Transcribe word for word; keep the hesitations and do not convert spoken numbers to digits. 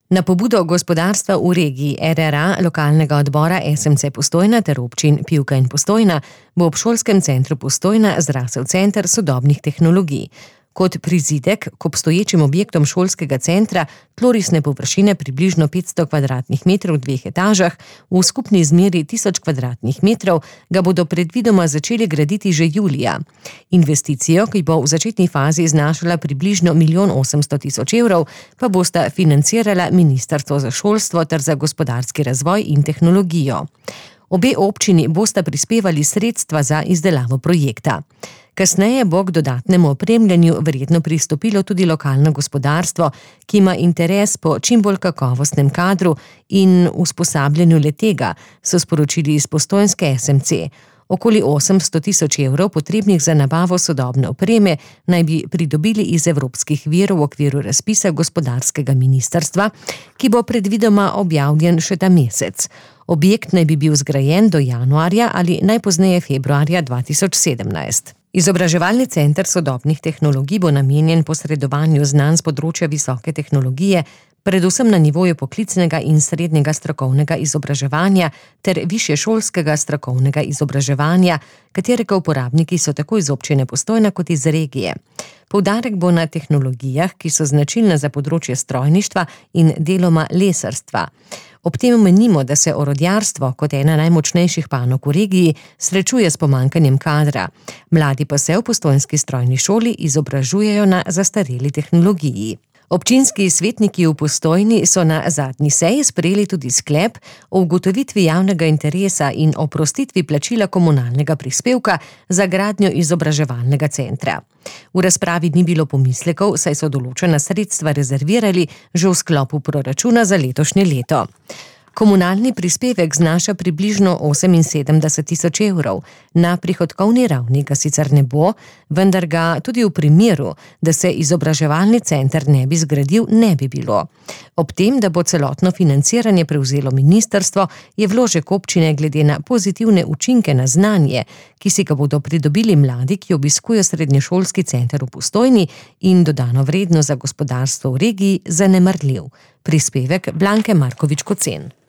Na pobudo gospodarstva v regiji er er a, lokalnega odbora es em ce Postojna ter občin Pivka in Postojna bo ob šolskem centru Postojna zrasel center sodobnih tehnologij. Kot prizidek k obstoječim objektom šolskega centra, tlorisne površine približno petsto kvadratnih metrov v dveh etažah, v skupni izmeri tisoč kvadratnih metrov, ga bodo predvidoma začeli graditi že julija. Investicijo, ki bo v začetni fazi znašala približno milijon osemsto tisoč evrov, pa bosta financirala Ministrstvo za šolstvo ter za gospodarski razvoj in tehnologijo. Obe občini bosta prispevali sredstva za izdelavo projekta. Kasneje bo k dodatnemu opremljanju verjetno pristopilo tudi lokalno gospodarstvo, ki ima interes po čim bolj kakovostnem kadru in usposabljanju le-tega, so sporočili iz postojnske es em ce. Okoli osemsto tisoč evrov potrebnih za nabavo sodobne opreme naj bi pridobili iz evropskih virov v okviru razpisa gospodarskega ministrstva, ki bo predvidoma objavljen še ta mesec. Objekt naj bi bil zgrajen do januarja ali najpozneje februarja dva tisoč sedemnajst. Izobraževalni center sodobnih tehnologij bo namenjen posredovanju znanj z področja visoke tehnologije, predvsem na nivoju poklicnega in srednjega strokovnega izobraževanja ter višješolskega strokovnega izobraževanja, katerega uporabniki so tako iz občine Postojna kot iz regije. Poudarek bo na tehnologijah, ki so značilne za področje strojništva in deloma lesarstva. Ob tem menimo, da se orodjarstvo, kot ena najmočnejših panog v regiji, srečuje s pomanjkanjem kadra. Mladi pa se v postojnski strojni šoli izobražujejo na zastareli tehnologiji. Občinski svetniki v Postojni so na zadnji seji sprejeli tudi sklep o ugotovitvi javnega interesa in oprostitvi plačila komunalnega prispevka za gradnjo izobraževalnega centra. V razpravi ni bilo pomislekov, saj so določena sredstva rezervirali že v sklopu proračuna za letošnje leto. Komunalni prispevek znaša približno oseminsedemdeset tisoč evrov. Na prihodkovni ravni ga sicer ne bo, vendar ga tudi v primeru, da se izobraževalni center ne bi zgradil, ne bi bilo. Ob tem, da bo celotno financiranje prevzelo ministrstvo, je vložek občine glede na pozitivne učinke na znanje, ki si ga bodo pridobili mladi, ki obiskujejo srednješolski center v Postojni, in dodano vrednost za gospodarstvo v regiji zanemarljiv. Prispevek Blanke Markovič Kocen.